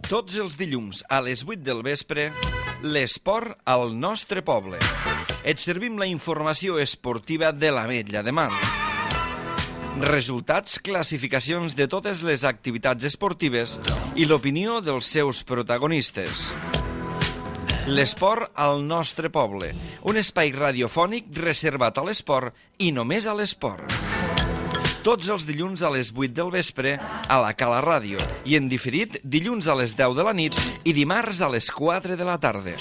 Tots els dilluns a les 8 del vespre, l'esport al nostre poble. Et servim la informació esportiva de l'Ametlla de Mar. Resultats, classificacions de totes les activitats esportives i l'opinió dels seus protagonistes. L'esport al nostre poble, un espai radiofònic reservat a l'esport i només a l'esport. Tots els dilluns a les 8 del vespre a la Cala Ràdio i en diferit dilluns a les 10 de la nit i dimarts a les 4 de la tarda.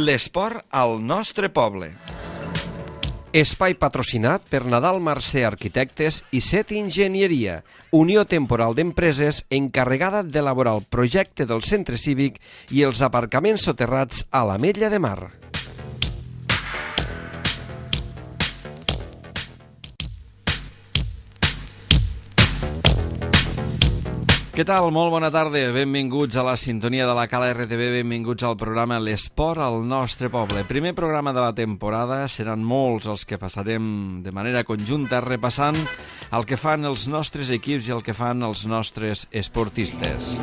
L'esport al nostre poble. Espai patrocinat per Nadal Mercè Arquitectes i Set Enginyeria, Unió Temporal d'Empreses encarregada d'elaborar el projecte del centre cívic i els aparcaments soterrats a l'Ametlla de Mar. Què tal? Molt bona tarda. Benvinguts a la sintonia de la Cala RTV, benvinguts al programa L'Esport al nostre poble. Primer programa de la temporada, seran molts els que passarem de manera conjunta repassant el que fan els nostres equips i el que fan els nostres esportistes.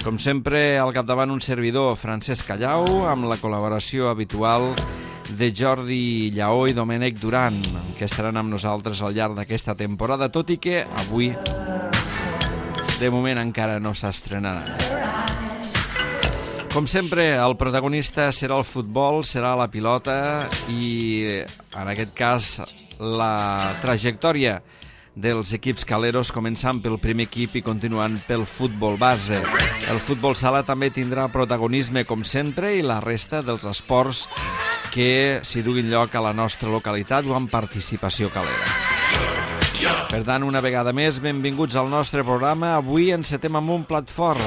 Com sempre, al capdavant un servidor, Francesc Callau, amb la col·laboració habitual de Jordi Lleó i Domènec Duran, que estaran amb nosaltres al llarg d'aquesta temporada, tot i que avui de moment encara no s'estrenarà. Com sempre, el protagonista serà el futbol, serà la pilota i, en aquest cas, la trajectòria dels equips caleros, començant pel primer equip i continuant pel futbol base. El futbol sala també tindrà protagonisme, com sempre, i la resta dels esports que s'hi duguin lloc a la nostra localitat o amb participació calera. Per tant, una vegada més, benvinguts al nostre programa. Avui encetem amb un plat fort,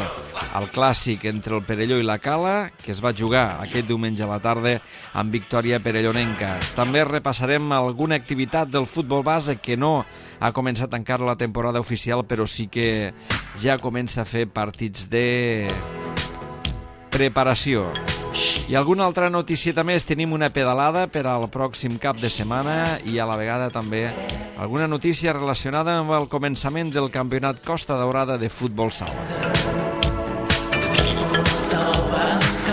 el clàssic entre el Perelló i la Cala, que es va jugar aquest diumenge a la tarda amb victòria perellonenca. També repassarem alguna activitat del futbol base que no ha començat encara la temporada oficial, però sí que ja comença a fer partits de preparació. I alguna altra noticieta més, tenim una pedalada per al pròxim cap de setmana i a la vegada també alguna notícia relacionada amb el començament del campionat Costa Daurada de futbol sala.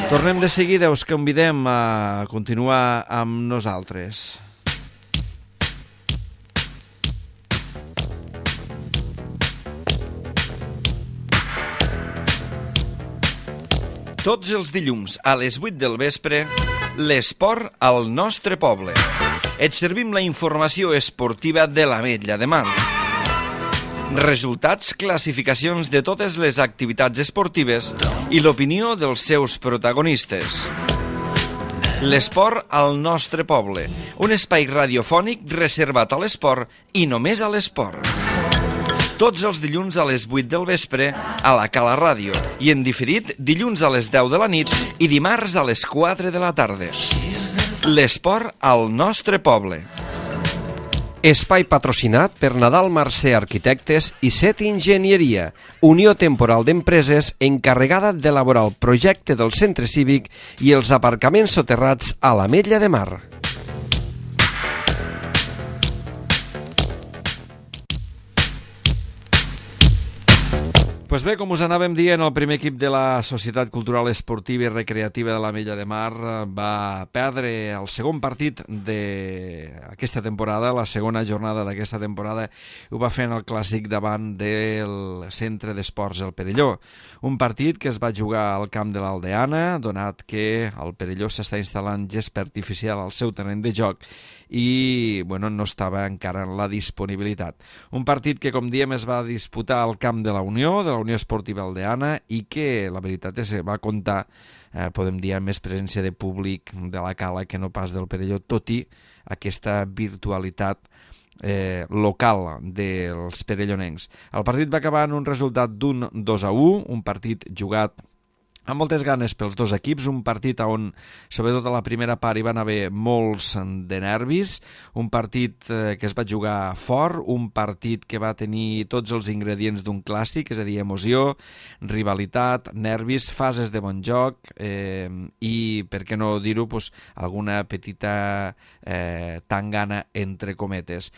Tornem de seguida, us convidem a continuar amb nosaltres. Tots els dilluns a les 8 del vespre, l'esport al nostre poble. Et servim la informació esportiva de l'Ametlla de Mar. Resultats, classificacions de totes les activitats esportives i l'opinió dels seus protagonistes. L'esport al nostre poble, un espai radiofònic reservat a l'esport i només a l'esport. Tots els dilluns a les 8 del vespre a la Cala Ràdio i en diferit dilluns a les 10 de la nit i dimarts a les 4 de la tarda. L'esport al nostre poble. Espai patrocinat per Nadal Mercè Arquitectes i Set Enginyeria, Unió Temporal d'Empreses encarregada d'elaborar el projecte del centre cívic i els aparcaments soterrats a l'Ametlla de Mar. Pues bé, com us anàvem dient, el primer equip de la Societat Cultural Esportiva i Recreativa de l'Ametlla de Mar va perdre el segon partit d'aquesta temporada, la segona jornada d'aquesta temporada, ho va fer en el clàssic davant del Centre d'Esports El Perelló. Un partit que es va jugar al camp de l'Aldeana, donat que el Perelló s'està instal·lant gespa artificial al seu terreny de joc i no estava encara en la disponibilitat. Un partit que, com diem, es va disputar al camp de la Unió Esportiva Aldeana i que, la veritat és que va comptar, podem dir, amb més presència de públic de la Cala que no pas del Perelló, tot i aquesta virtualitat local dels perellonencs. El partit va acabar en un resultat d'un 2-1, un partit jugat amb moltes ganes pels dos equips, un partit on, sobretot a la primera part, hi van haver molts de nervis, un partit que es va jugar fort, un partit que va tenir tots els ingredients d'un clàssic, és a dir, emoció, rivalitat, nervis, fases de bon joc i, per què no dir-ho, alguna petita tangana entre cometes.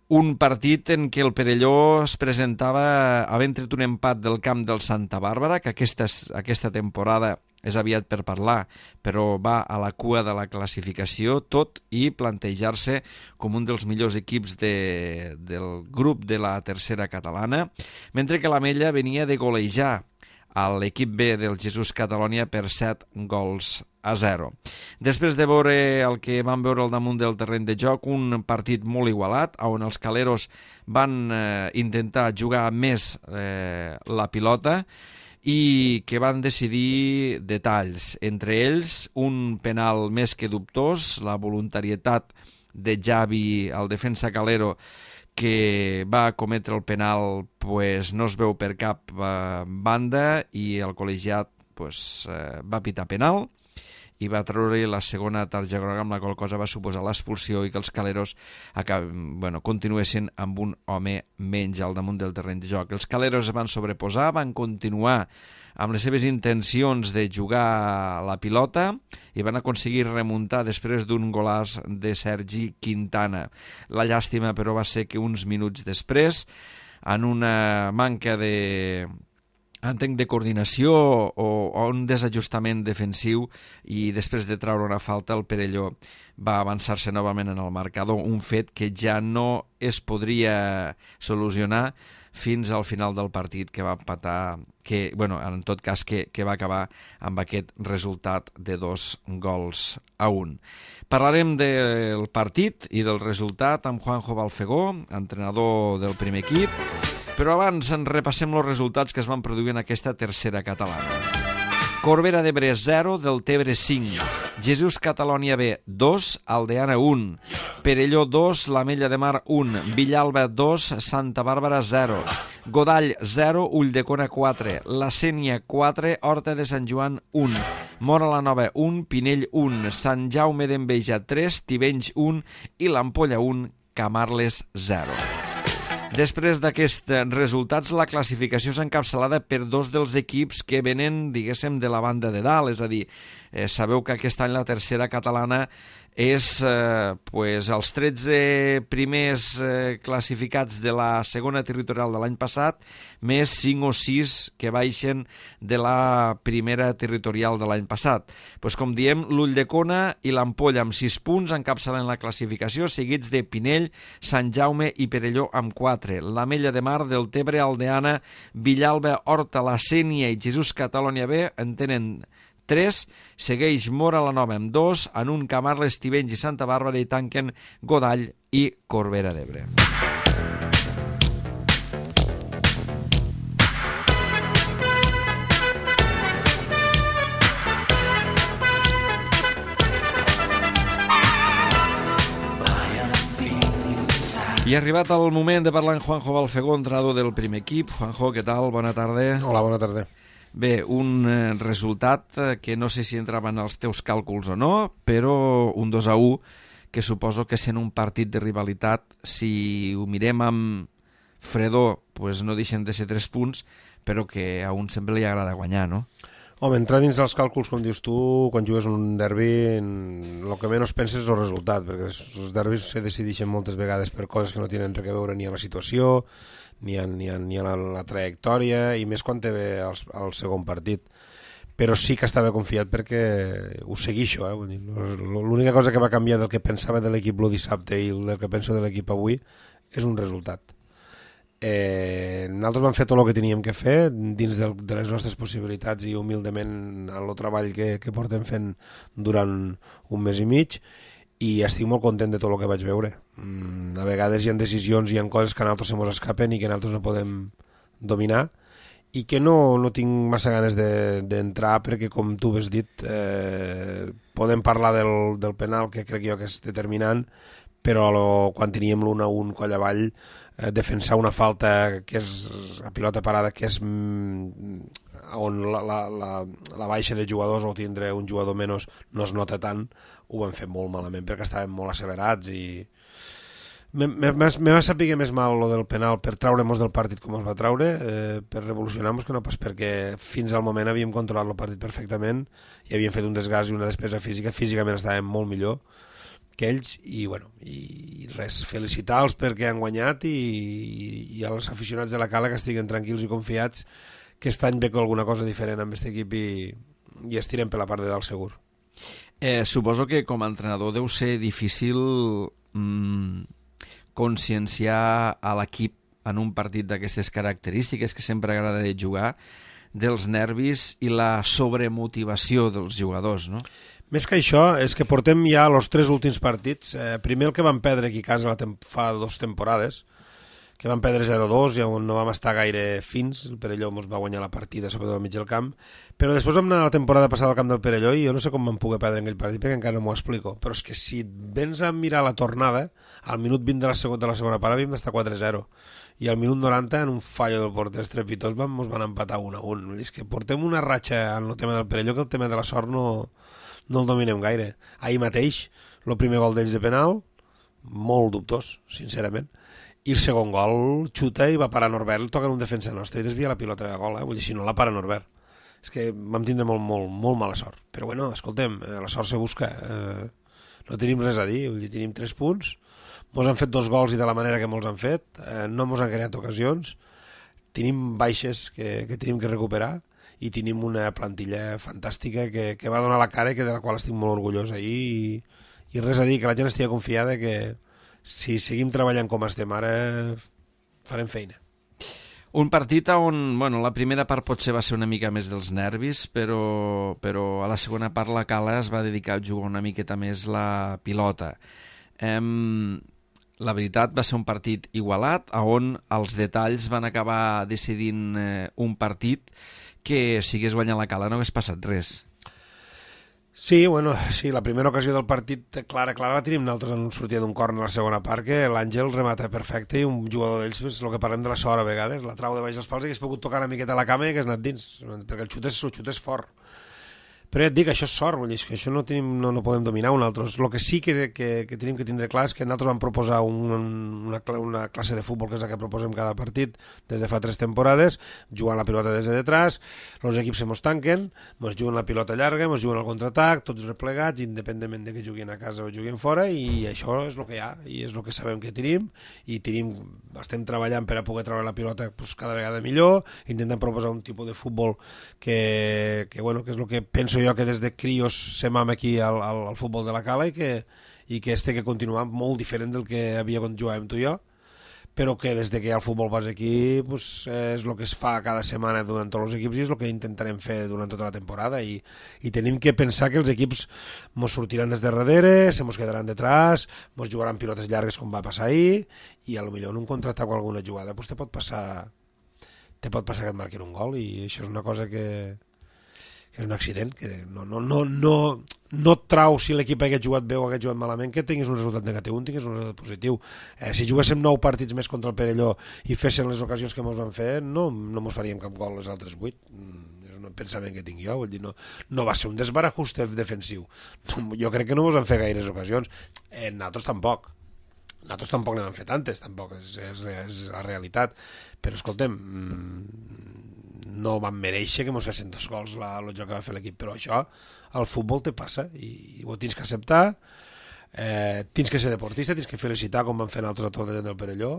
un partit en què el Perelló es presentava havent tret un empat del camp del Santa Bàrbara, que aquesta temporada és aviat per parlar, però va a la cua de la classificació, tot i plantejar-se com un dels millors equips del grup de la tercera catalana, mentre que l'Amella venia de golejar a l'equip B del Jesús Catalònia per 7-0. Després de veure el que vam veure al damunt del terreny de joc, un partit molt igualat, on els caleros van intentar jugar més la pilota i que van decidir detalls, entre ells un penal més que dubtós, la voluntarietat de Javi, el defensa calero, que va cometre el penal, pues, no es veu per cap banda i el col·legiat va pitar penal i va treure la segona targeta groga, amb la qual cosa va suposar l'expulsió i que els caleros continuessin amb un home menys al damunt del terreny de joc. Els caleros es van sobreposar, van continuar amb les seves intencions de jugar la pilota i van aconseguir remuntar després d'un golàs de Sergi Quintana. La llàstima, però, va ser que uns minuts després, en una manca de coordinació o un desajustament defensiu i després de treure una falta, el Perelló va avançar-se novament en el marcador, un fet que ja no es podria solucionar fins al final del partit, que va empatar, en tot cas que va acabar amb aquest resultat de 2-1. Parlarem del partit i del resultat amb Juanjo Balfegó, entrenador del primer equip, però abans en repassem els resultats que es van produir en aquesta tercera catalana. Corbera d'Ebre 0, Deltebre 5, Jesús Catalònia B 2, Aldeana 1, Perelló 2, l'Amella de Mar 1, Villalba 2, Santa Bàrbara 0, Godall 0, Ulldecona 4, La Sénia 4, Horta de Sant Joan 1, Móra la Nova 1, Pinell 1, Sant Jaume d'Enveja 3, Tivenys 1 i l'Ampolla 1, Camarles 0. Després d'aquests resultats, la classificació és encapçalada per dos dels equips que venen, diguéssim, de la banda de dalt, és a dir, sabeu que aquest any la tercera catalana és els 13 primers classificats de la segona territorial de l'any passat, més 5 o 6 que baixen de la primera territorial de l'any passat. Com diem, l'Ulldecona i l'Ampolla amb 6 punts encapçalen la classificació, seguits de Pinell, Sant Jaume i Perelló amb 4. L'Amella de Mar, Deltebre, Aldeana, Villalba, Horta, La Sénia i Jesús Catalònia B en tenen 3, segueix Móra la Nova amb 2, en un Camarles, Tivenys i Santa Bàrbara i tanquen Godall i Corbera d'Ebre. I ha arribat el moment de parlar amb Juanjo Balfegó, entrenador del primer equip. Juanjo, què tal? Bona tarda. Hola, bona tarda. Bé, un resultat que no sé si entrava en els teus càlculs o no, però un 2-1 que suposo que sent un partit de rivalitat, si ho mirem amb fredor, no deixen de ser 3 punts, però que a un sempre li agrada guanyar, no? Home, entrar dins dels càlculs, com dius tu, quan jugues un derbi, el que menys penses és el resultat, perquè els derbis se decideixen moltes vegades per coses que no tenen res a veure ni a la situació, ni a la trajectòria, i més quan té bé el segon partit. Però sí que estava confiat perquè ho seguixo. L'única cosa que va canviar del que pensava de l'equip el dissabte i del que penso de l'equip avui és un resultat. Nosaltres vam fer tot el que teníem que fer dins de les nostres possibilitats i humilment el treball que portem fent durant un mes i mig, i estic molt content de tot el que vaig veure. A vegades hi ha decisions, hi ha coses que a nosaltres se mos escapen i que nosaltres no podem dominar, i que no tinc massa ganes d'entrar perquè, com tu has dit, podem parlar del penal, que crec jo que és determinant, però quan teníem l'1-1 coll avall, defensar una falta que és a pilota parada, que és on la baixa de jugadors o tindre un jugador menys no es nota tant, ho vam fer molt malament perquè estàvem molt accelerats, i me va saber més mal lo del penal per traure-nos del partit com ens va traure, per revolucionar-nos, que no pas perquè fins al moment havíem controlat el partit perfectament i havíem fet un desgast i una despesa física, físicament estàvem molt millor, que ells, i res, felicitar-los perquè han guanyat i als aficionats de la Cala que estiguen tranquils i confiats que aquest any ve alguna cosa diferent amb aquest equip i estirem per la part de dalt segur. Suposo que com a entrenador deu ser difícil conscienciar a l'equip en un partit d'aquestes característiques que sempre agrada de jugar, dels nervis i la sobremotivació dels jugadors, no? Més que això, és que portem ja els 3 últims partits. Primer el que vam perdre aquí a casa fa 2 temporades, que vam perdre 0-2 i on no vam estar gaire fins, el Perelló ens va guanyar la partida sobretot al mig del camp, però després vam anar la temporada passada al camp del Perelló i jo no sé com vam poder perdre en aquell partit perquè encara no m'ho explico, però és que si vens a mirar la tornada, al minut 20 de la segona part havíem d'estar 4-0 i al minut 90 en un fallo del porter estrepitós ens van empatar 1-1. És que portem una ratxa en el tema del Perelló que el tema de la sort no el dominem gaire. Ahir mateix, el primer gol d'ells de penal, molt dubtós, sincerament, i el segon gol xuta i va parar Norbert, el toca en un defensa nostre i desvia la pilota de gol, vull dir, si no la para Norbert. És que vam tindre molt mala sort. Però bueno, escoltem, la sort se busca. No tenim res a dir, vull dir, tenim 3 punts, mos han fet 2 gols i de la manera que mos han fet, no mos han creat ocasions, tenim baixes que tenim que recuperar i tenim una plantilla fantàstica que va donar la cara i de la qual estic molt orgullós ahir i res a dir, que la gent estigui confiada que si seguim treballant com estem ara farem feina. Un partit on la primera part potser va ser una mica més dels nervis, però a la segona part la Cala es va dedicar a jugar una miqueta més la pilota. La veritat va ser un partit igualat, on els detalls van acabar decidint un partit que si hagués guanyat la Cala no hagués passat res. Sí, la primera ocasió del partit clara la tenim nosaltres en sortida d'un córner a la segona part, que l'Àngel remata perfecte i un jugador d'ells, el que parlem de la sort a vegades, la trau de baix dels pals i hagués pogut tocar una miqueta a la cama i hagués anat dins, perquè el xut és fort. Però ja et dic, això és sort, vull dir, que això no podem dominar nosaltres. El que sí que tenim que tindre clar és que nosaltres vam proposar una classe de futbol, que és la que proposem cada partit des de fa 3 temporades, jugant la pilota des de detrás, els equips se mos tanquen, mos juguen la pilota llarga, mos juguen el contraatac, tots replegats, independentment de que juguin a casa o juguin fora, i això és el que hi ha, i és el que sabem que tenim, i estem treballant per a poder treure la pilota cada vegada millor, intentant proposar un tipus de futbol que és el que penso jo que des de crios se mama aquí al futbol de la Cala i que este que continua molt diferent del que havia quan jugàvem tu i jo, però que des de que hi ha el futbol base aquí és el que es fa cada setmana durant tots els equips i és el que intentarem fer durant tota la temporada i tenim que pensar que els equips mos sortiran des de darrere, se mos quedaran detrás, mos jugaran pilotes llargues com va passar ahir i potser en un contraatac o alguna jugada te pot passar que et marquin un gol i això és una cosa que és un accident, que no et trau si l'equip hagués jugat bé o hagués jugat malament que tinguis un resultat negatiu, tinguis un resultat positiu. Si juguéssim 9 partits més contra el Perelló i fessin les ocasions que mos van fer, no mos faríem cap gol les altres 8. És un pensament que tinc jo, vull dir, no va ser un desbarajuste defensiu. Jo crec que no mos van fer gaires ocasions. Nosaltres tampoc n'hem fet tantes, tampoc, és la realitat. Però escoltem, no van mereixer que mos fessin 2 gols el joc que va fer l'equip, però això al futbol te passa i ho tens que acceptar, tens que ser deportista, tens que felicitar com van fer nosaltres a tota la gent del Perelló,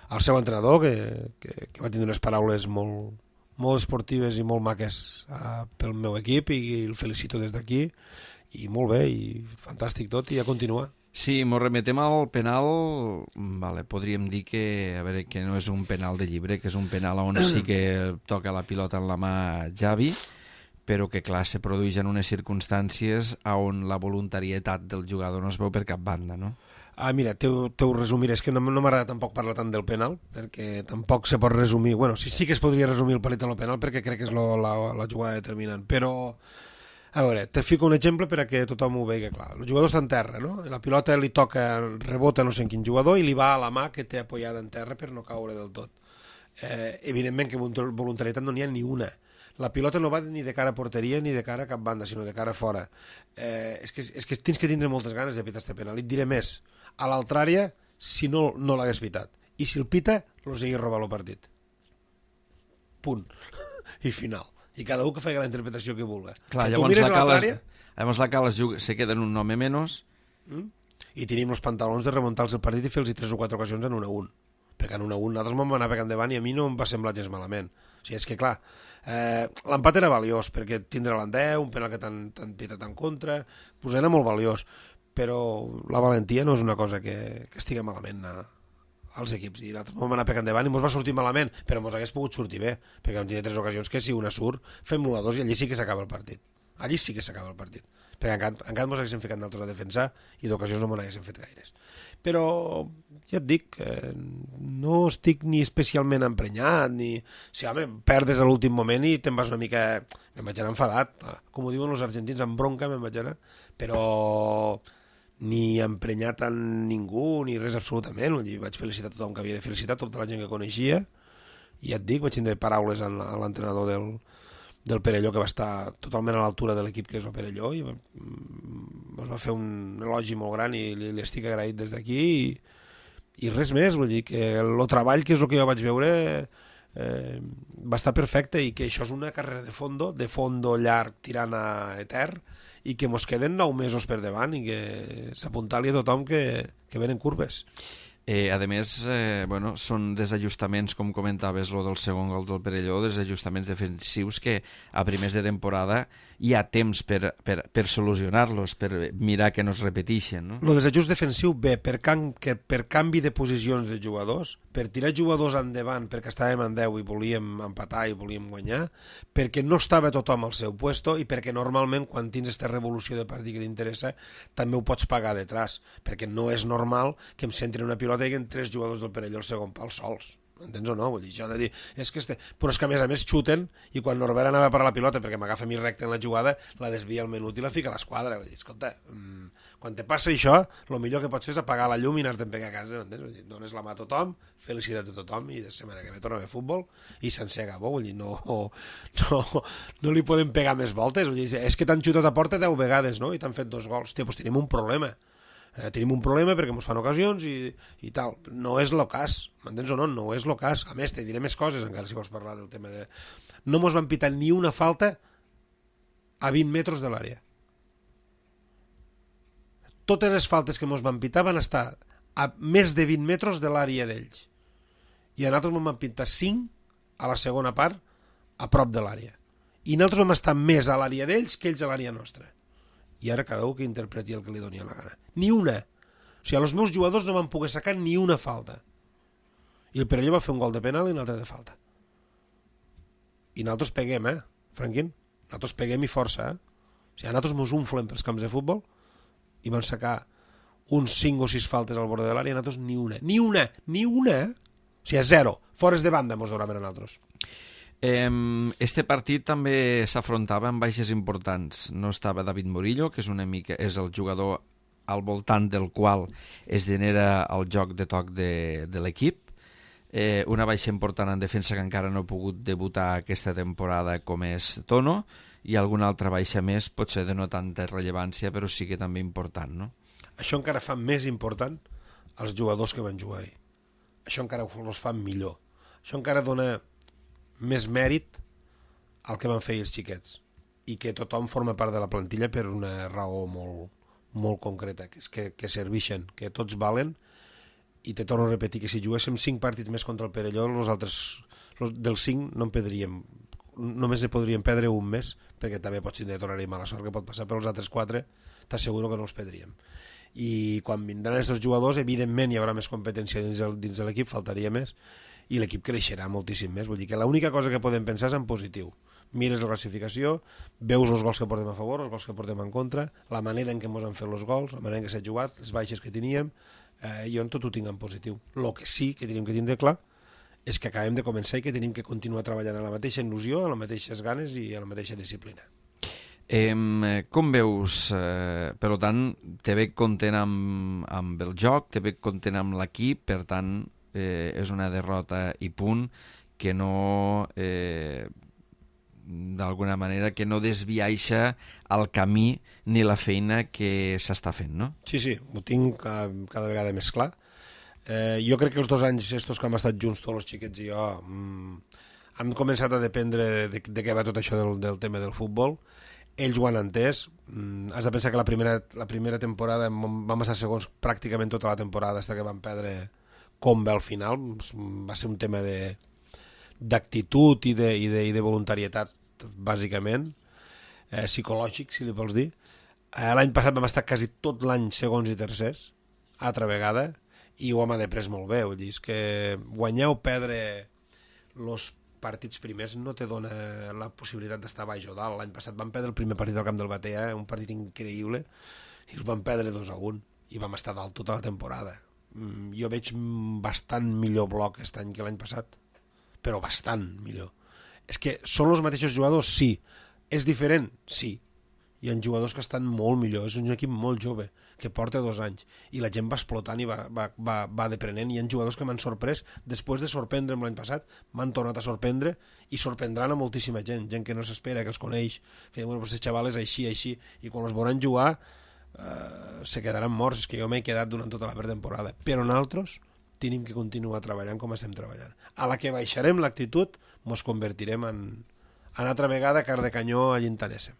al seu entrenador que va tenir unes paraules molt esportives i molt maques pel meu equip i el felicito des d'aquí i molt bé i fantàstic tot i a continuar. Sí, mos remetem al penal, podríem dir que no és un penal de llibre, que és un penal on sí que toca la pilota en la mà Javi, però que clar, se produeix en unes circumstàncies on la voluntarietat del jugador no es veu per cap banda, no? Mira, t'ho resumiré, és que no m'agrada tampoc parlar tant del penal, perquè tampoc se pot resumir, sí que es podria resumir el partit en el penal perquè crec que és la jugada determinant, però a veure, te fico un exemple per a que tothom ho vegi clar. El jugador està en terra, no? La pilota li toca, rebota no sé en quin jugador i li va a la mà que té apoyada en terra per no caure del tot. Evidentment que voluntarietat no n'hi ha ni una. La pilota no va ni de cara a porteria ni de cara a cap banda, sinó de cara a fora. És que tens que tindre moltes ganes de pitar este penal. I et diré més, a l'altra àrea, si no l'hagués pitat. I si el pita, los hagués robat el partit. Punt. I final. I cada un que faci la interpretació que vulgui. Clar, llavors la Cala se queda en un home menys. i tenim els pantalons de remuntar-los el partit i fer-los 3 o 4 ocasions en 1-1, perquè en 1-1 nosaltres vam anar pegant endavant i a mi no em va semblar gens malament. O sigui, és que clar, l'empat era valiós, perquè tindre l'Andeu, un penal que t'han pitat en contra, pues era molt valiós, però la valentia no és una cosa que estigui malament als equips, i nosaltres vam anar pegant endavant i ens va sortir malament, però ens hagués pogut sortir bé, perquè vam tenir 3 ocasions que si una surt, fem l'1-2 i allí sí que s'acaba el partit. Allí sí que s'acaba el partit, perquè encara ens haguéssim ficat nosaltres a defensar i d'ocasions no m'ho haguéssim fet gaires. Però ja et dic, no estic ni especialment emprenyat, ni... Si, home, perdes a l'últim moment i te'n vas una mica... Me'n vaig anar enfadat, com ho diuen els argentins, amb bronca me'n vaig anar, però ni emprenyat en ningú, ni res absolutament. Vaig felicitar tothom que havia de felicitar, tota la gent que coneixia, i ja et dic, vaig tindre paraules a l'entrenador del Perelló, que va estar totalment a l'altura de l'equip que és el Perelló, i ens va fer un elogi molt gran i li estic agraït des d'aquí, i res més. Vull dir que el treball, que és el que jo vaig veure, va estar perfecte, i que això és una carrera de fondo llarg tirant a etern, i que mos queden 9 mesos per davant, i que s'apunta-li a tothom que venen curves. A més, bueno, són desajustaments, com comentaves, lo del segon gol del Perelló, desajustaments defensius que a primers de temporada hi ha temps per solucionar-los, per mirar que no es repeteixen, no? El desajust defensiu ve per canvi de posicions de jugadors, per tirar jugadors endavant perquè estàvem en 10 i volíem empatar i volíem guanyar, perquè no estava tothom al seu puesto i perquè normalment quan tens aquesta revolució de partit que t'interessa també ho pots pagar detrás, perquè no és normal que em centri una pilota i que 3 jugadors del Perelló al segon pal sols. Entens o no? Vull dir, això de dir, però és que a més xuten, i quan Norbert anava a parar la pilota perquè m'agafa a mi recte en la jugada, la desvia al menut i la fica a l'esquadra. Vull dir, escolta, quan te passa això, el millor que pots fer és apagar la llum i anar-te'n pegar a casa, entens? Vull dir, dones la mà a tothom, felicitat a tothom, i de setmana que ve torna a fer futbol i s'encega bo. Vull dir, no li podem pegar més voltes. Vull dir, és que t'han xutat a porta 10 vegades, no? I t'han fet 2 gols. Hòstia, doncs tenim un problema. Tenim un problema perquè ens fan ocasions i tal. No és el cas, m'entens o no? No és el cas. A més, te diré més coses, encara si vols parlar del tema de... No mos van pitar ni una falta a 20 metres de l'àrea. Totes les faltes que mos van pitar van estar a més de 20 metres de l'àrea d'ells. I a nosaltres mos van pitar 5 a la segona part a prop de l'àrea. I nosaltres vam estar més a l'àrea d'ells que ells a l'àrea nostra. I ara cada un que interpreti el que li doni la gana. Ni una. O sigui, els meus jugadors no van poder sacar ni una falta. I el Perelló va fer un gol de penal i un altre de falta. I nosaltres peguem, Franquín? Nosaltres peguem i força, O sigui, nosaltres mos unflem pels camps de futbol i van sacar uns 5 o 6 faltes al bord de l'àrea i nosaltres ni una. Ni una! Ni una! O sigui, 0. Fores de banda mos donaven a nosaltres. Este partit també s'afrontava amb baixes importants. No estava David Murillo, que és el jugador al voltant del qual es genera el joc de toc de l'equip. Una baixa important en defensa que encara no ha pogut debutar aquesta temporada com és Tono, i alguna altra baixa més, potser de no tanta rellevància, però sí que també important, no? Això encara fa més important els jugadors que van jugar ahir. Això encara els fa millor. Això encara dona més mèrit al que van fer els xiquets, i que tothom forma part de la plantilla per una raó molt concreta, que és que serveixen, que tots valen. I te torno a repetir que si juguéssim 5 partits més contra el Perelló, els dels 5 no en perdríem, només ne podríem perdre un més, perquè també pots tindre tornar-hi mala sort que pot passar, però els altres 4 t'asseguro que no els perdríem. I quan vindran aquests jugadors, evidentment hi haurà més competència dins de l'equip, faltaria més, i l'equip creixerà moltíssim més. Vull dir que l'única cosa que podem pensar és en positiu. Mires la classificació, veus els gols que portem a favor, els gols que portem en contra, la manera en què ens han fet els gols, la manera en què s'ha jugat, les baixes que teníem, jo en tot ho tinc en positiu. El que sí que tenim que tindre clar és que acabem de començar i que tenim que continuar treballant a la mateixa il·lusió, a les mateixes ganes i a la mateixa disciplina. Com veus, per tant, te veig content amb el joc, te veig content amb l'equip, per tant, és una derrota i punt, que no, d'alguna manera, que no desviaixa el camí ni la feina que s'està fent, no? Sí, ho tinc cada vegada més clar. Jo crec que els 2 anys estos que hem estat junts, tots els xiquets i jo, hem començat a dependre de què va tot això del tema del futbol. ells ho han entès. Has de pensar que la primera temporada vam estar segons pràcticament tota la temporada fins que vam perdre com bé al final. Va ser un tema d'actitud i de voluntarietat, bàsicament, psicològic, si li vols dir. L'any passat vam estar quasi tot l'any segons i tercers, altra vegada, i ho hem après molt bé. Vull dir, és que guanyar o perdre els partits primers no te dona la possibilitat d'estar baix o dalt. L'any passat vam perdre el primer partit al Camp del Batea, un partit increïble, i el vam perdre 2-1, i vam estar dalt tota la temporada. Jo veig bastant millor bloc aquest any que l'any passat, però bastant millor. És que són els mateixos jugadors? Sí. És diferent? Sí. Hi ha jugadors que estan molt millor. És un equip molt jove, que porta 2 anys, i la gent va explotant i va deprenent. Hi ha jugadors que m'han sorprès. Després de sorprendre'm l'any passat, m'han tornat a sorprendre i sorprendran a moltíssima gent que no s'espera, que els coneix, que bueno, pues, xaval és així, i quan els veuran jugar se quedaran morts. És que jo m'he quedat durant tota la pretemporada. Però nosaltres tenim que continuar treballant com estem treballant. A la que baixarem l'actitud, ens convertirem en altra vegada car de canyó a Llintanessa.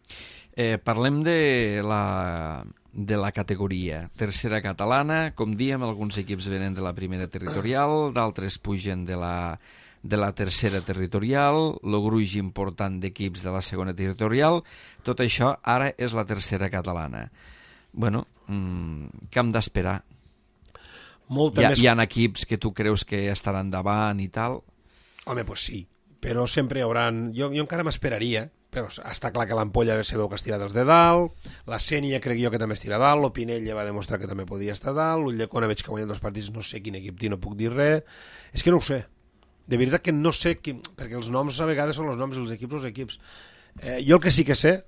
Parlem de la categoria tercera catalana. Com diem, alguns equips venen de la primera territorial, d'altres pugen de la tercera territorial, el gruix important d'equips de la segona territorial. Tot això ara és la tercera catalana. Bueno, què hem d'esperar? Hi ha equips que tu creus que estaran davant i tal? Home, doncs sí, però sempre hi haurà... Jo encara m'esperaria, però està clar que l'Ampolla se veu que es tira dels de dalt, la Sènia crec jo que també es tira dalt, l'Opinella va demostrar que també podia estar dalt, l'Ulldecona veig que ha guanyat 2 partits, no sé quin equip té, no puc dir res. És que no ho sé, de veritat que no sé, perquè els noms a vegades són els noms, els equips. Jo el que sí que sé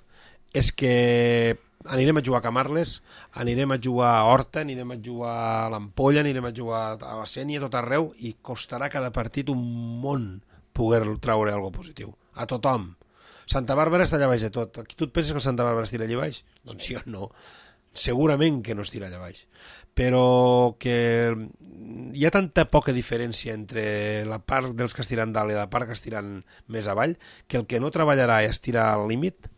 és que anirem a jugar a Camarles, anirem a jugar a Horta, anirem a jugar a l'Ampolla, anirem a jugar a la Sènia, tot arreu, i costarà cada partit un món poder traure alguna positiu. A tothom. Santa Bàrbara està allà baix de tot. Tu et penses que el Santa Bàrbara es tira allà baix? Doncs jo no. Segurament que no es tira allà baix. Però que hi ha tanta poca diferència entre la part dels que es tiren dalt i la part que es tiren més avall, que el que no treballarà i es tira al límit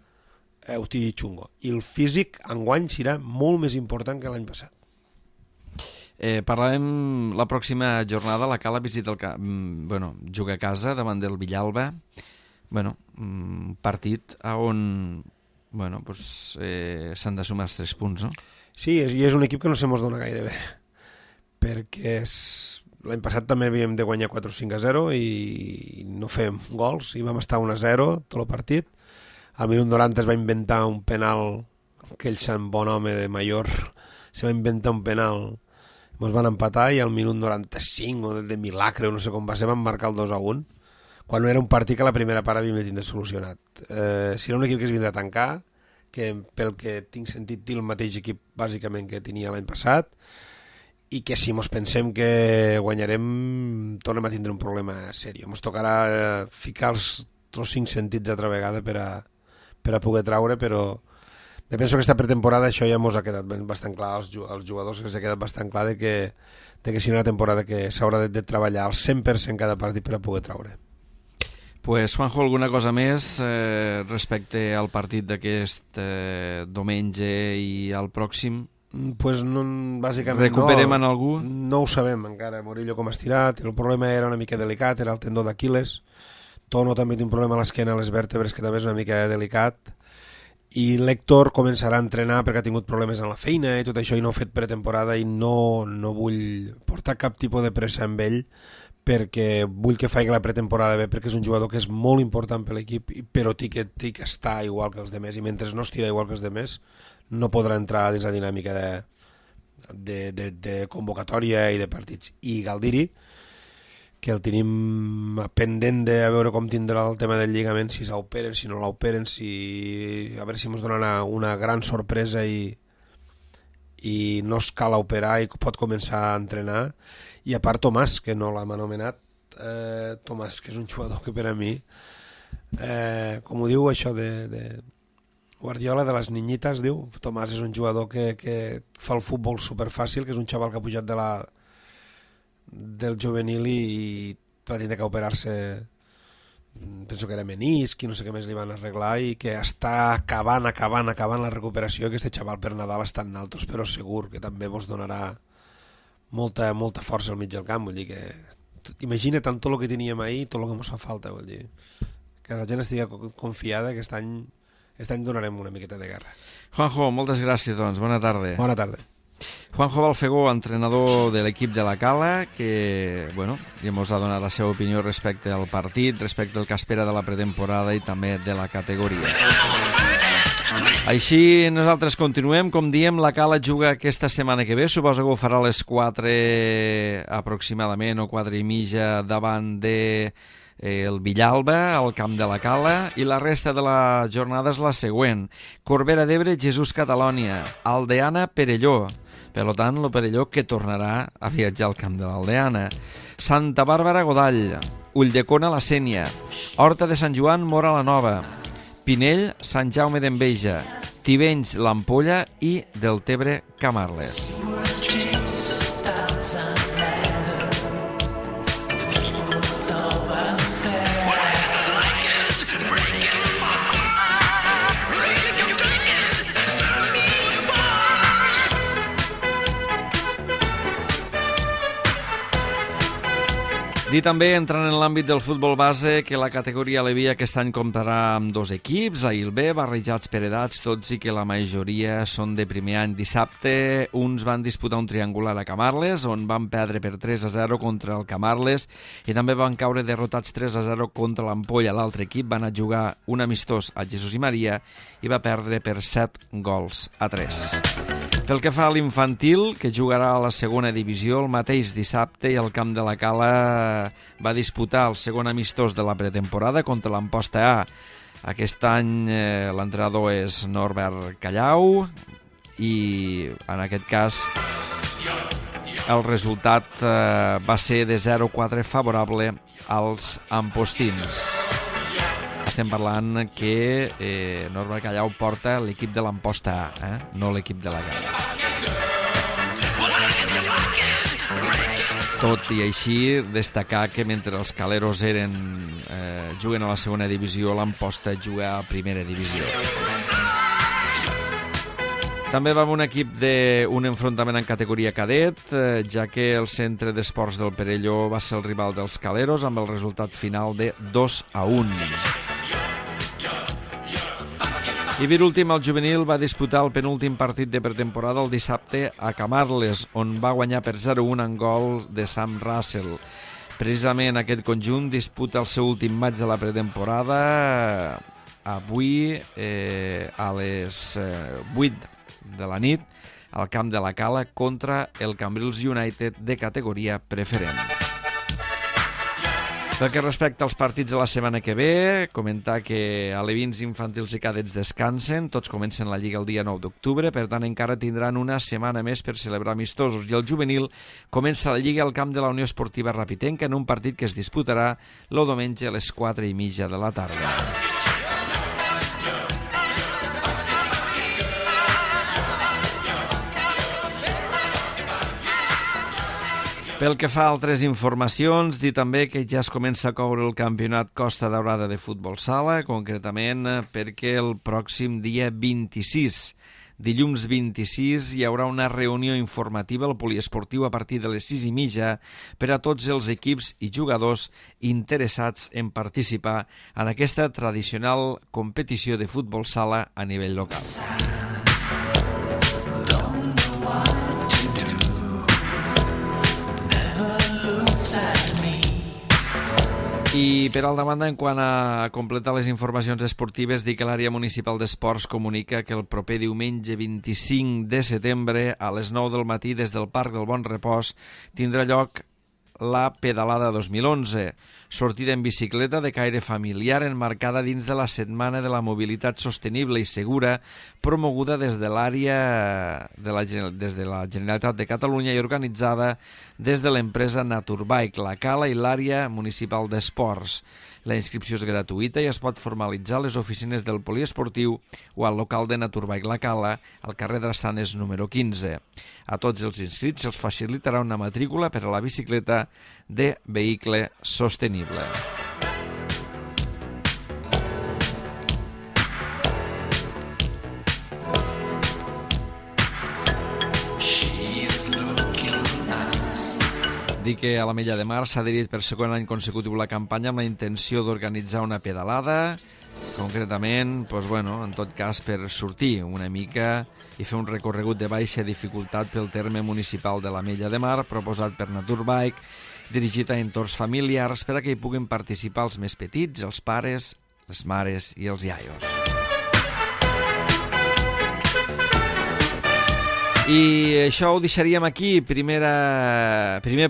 ho té xungo. I el físic enguany serà molt més important que l'any passat. Parlarem la pròxima jornada. La Cala visita juga a casa davant del Villalba. Partit on s'han de sumar els 3 punts, no? Sí, i és un equip que no se mos dona gaire bé, perquè l'any passat també havíem de guanyar 4-5-0 i no fem gols, i vam estar 1-0 tot el partit. Al minut 90 es va inventar un penal, aquell sant bon home de Mayor se va inventar un penal, ens van empatar, i al minut 95 o de milagre, no sé com va ser, van marcar el 2-1, quan no era un partit que la primera part havíem de tindre solucionat. Si era un equip que es vindrà a tancar, que pel que tinc sentit té el mateix equip bàsicament que tenia l'any passat, i que si mos pensem que guanyarem tornem a tindre un problema seriós. Mos tocarà ficar els 5 sentits altra vegada per a poder traure, però me penso que aquesta pretemporada això ja mos ha quedat bastant clar als jugadors, que s'ha quedat bastant clar de que si no una temporada que s'haurà de treballar al 100% cada partit per a poder traure. Pues, Juanjo, alguna cosa més respecte al partit d'aquest diumenge i al pròxim? Pues no, bàsicament recuperem en algú? No ho sabem encara. Murillo com ha estirat, el problema era una mica delicat, era el tendó d'Aquiles. Tono també té un problema a l'esquena, a les vèrtebres, que també és una mica delicat. I l'Héctor començarà a entrenar perquè ha tingut problemes en la feina i tot això, i no ha fet pretemporada, i no vull portar cap tipus de pressa amb ell, perquè vull que faci la pretemporada bé, perquè és un jugador que és molt important per l'equip, però té que estar igual que els demés, i mentre no estira igual que els demés no podrà entrar dins la dinàmica de convocatòria i de partits. I Galdiri, que el tenim pendent de veure com tindrà el tema del lligament, si s'operen, si no l'operen, a veure si ens donarà una gran sorpresa i no es cal operar i pot començar a entrenar. I a part Tomàs, que no l'hem anomenat, Tomàs, que és un jugador que per a mi, com ho diu això de Guardiola, de les niñitas, diu, Tomàs és un jugador que fa el futbol superfàcil, que és un xaval que ha pujat del juvenil i va tindre que operar-se penso que era menisc i no sé què més li van arreglar, i que està acabant la recuperació. Aquest xaval per Nadal està en altos, però segur que també vos donarà molta força al mig del camp. Vull dir que imagina tant tot el que teníem ahir, tot el que ens fa falta, vull dir que la gent estigui confiada que aquest any donarem una miqueta de guerra. Juanjo, moltes gràcies, doncs. Bona tarda. Bona tarda. Juanjo Balfegó, entrenador de l'equip de la Cala, que ja ens ha donat la seva opinió respecte al partit, respecte al que espera de la pretemporada i també de la categoria. Així nosaltres continuem. Com diem, la Cala juga aquesta setmana que ve, suposo que ho farà a les 4 aproximadament o 4 i mitja davant de el Villalba, al camp de la Cala, i la resta de la jornada és la següent: Corbera d'Ebre, Jesús Catalònia, Aldeana, Perelló. Per tant, el Perelló que tornarà a viatjar al camp de l'Aldeana. Santa Bàrbara, Godall, Ulldecona, la Sénia, Horta de Sant Joan, Mora la Nova, Pinell, Sant Jaume d'Enveja, Tivenys, l'Ampolla i Deltebre, Camarles. Dir també, entrant en l'àmbit del futbol base, que la categoria Alevia aquest any comptarà amb 2 equips, A i el B, barrejats per edats, tots i que la majoria són de primer any. Dissabte, uns van disputar un triangular a Camarles, on van perdre per 3-0 contra el Camarles, i també van caure derrotats 3-0 contra l'Ampolla. L'altre equip va anar a jugar un amistós a Jesús i Maria i va perdre per 7-3. Pel que fa a l'infantil, que jugarà a la segona divisió el mateix dissabte, i al camp de la Cala va disputar el segon amistós de la pretemporada contra l'Amposta A. Aquest any l'entrenador és Norbert Callau i en aquest cas el resultat va ser de 0-4 favorable als ampostins. Estem parlant que Norbert Callau porta l'equip de l'Amposta A, no l'equip de la Cala. Tot i així, destacar que mentre els caleros juguen a la segona divisió, l'Amposta juga a primera divisió. També va un equip d'un enfrontament en categoria cadet, ja que el centre d'esports del Perelló va ser el rival dels caleros amb el resultat final de 2-1. I per últim, el juvenil va disputar el penúltim partit de pretemporada el dissabte a Camarles, on va guanyar per 0-1 en gol de Sam Russell. Precisament aquest conjunt disputa el seu últim maig de la pretemporada avui a les 8 de la nit al camp de la Cala contra el Cambrils United de categoria preferent. Pel que respecta als partits de la setmana que ve, comentar que alevins, infantils i cadets descansen, tots comencen la Lliga el dia 9 d'octubre, per tant encara tindran una setmana més per celebrar amistosos, i el juvenil comença la Lliga al camp de la Unió Esportiva Rapitenca en un partit que es disputarà el diumenge a les 4:30 de la tarda. Pel que fa a altres informacions, dir també que ja es comença a coure el campionat Costa Daurada de futbol sala, concretament perquè el pròxim dia 26, dilluns 26, hi haurà una reunió informativa al poliesportiu a partir de les 6:30 per a tots els equips i jugadors interessats en participar en aquesta tradicional competició de futbol sala a nivell local. I per altra banda, en quant a completar les informacions esportives, dir que l'àrea municipal d'esports comunica que el proper diumenge 25 de setembre a les 9 del matí des del Parc del Bon Repòs tindrà lloc la Pedalada 2011, sortida en bicicleta de caire familiar emmarcada dins de la Setmana de la Mobilitat Sostenible i Segura, promoguda des de l'àrea des de la Generalitat de Catalunya i organitzada des de l'empresa Naturbike, la Cala i l'àrea municipal d'esports. La inscripció és gratuïta i es pot formalitzar a les oficines del poliesportiu o al local de Naturbike La Cala, al carrer Drassanes número 15. A tots els inscrits se'ls facilitarà una matrícula per a la bicicleta de vehicle sostenible. Dir que a l'Ametlla de Mar s'ha adherit per segon any consecutiu la campanya amb la intenció d'organitzar una pedalada, concretament, doncs, bueno, en tot cas per sortir una mica i fer un recorregut de baixa dificultat pel terme municipal de l'Ametlla de Mar, proposat per Naturbike, dirigit a entorns familiars per a que hi puguin participar els més petits, els pares, les mares i els iaios. I això ho deixaríem aquí, primer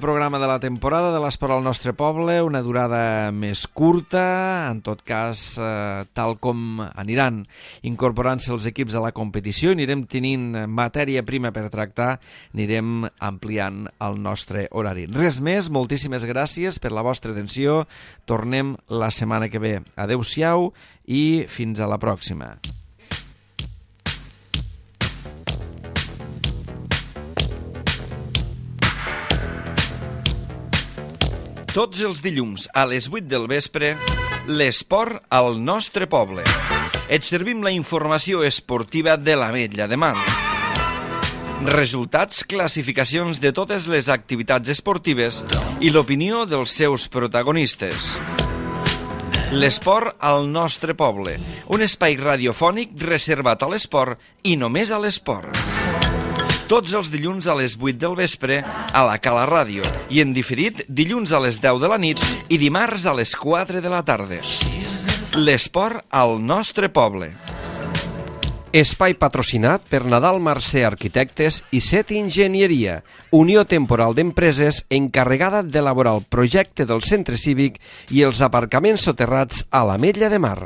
programa de la temporada de l'Esport al nostre poble, una durada més curta, en tot cas, tal com aniran incorporant-se els equips a la competició, anirem tenint matèria prima per tractar, anirem ampliant el nostre horari. Res més, moltíssimes gràcies per la vostra atenció, tornem la setmana que ve. Adeu-siau i fins a la pròxima. Tots els dilluns a les 8 del vespre, l'esport al nostre poble. Et servim la informació esportiva de l'Ametlla de Mar. Resultats, classificacions de totes les activitats esportives i l'opinió dels seus protagonistes. L'esport al nostre poble, un espai radiofònic reservat a l'esport i només a l'esport. Tots els dilluns a les 8 del vespre a la Cala Ràdio i en diferit dilluns a les 10 de la nit i dimarts a les 4 de la tarda. L'esport al nostre poble. Espai patrocinat per Nadal Mercè Arquitectes i Set Enginyeria, unió temporal d'empreses encarregada d'elaborar el projecte del centre cívic i els aparcaments soterrats a l'Ametlla de Mar.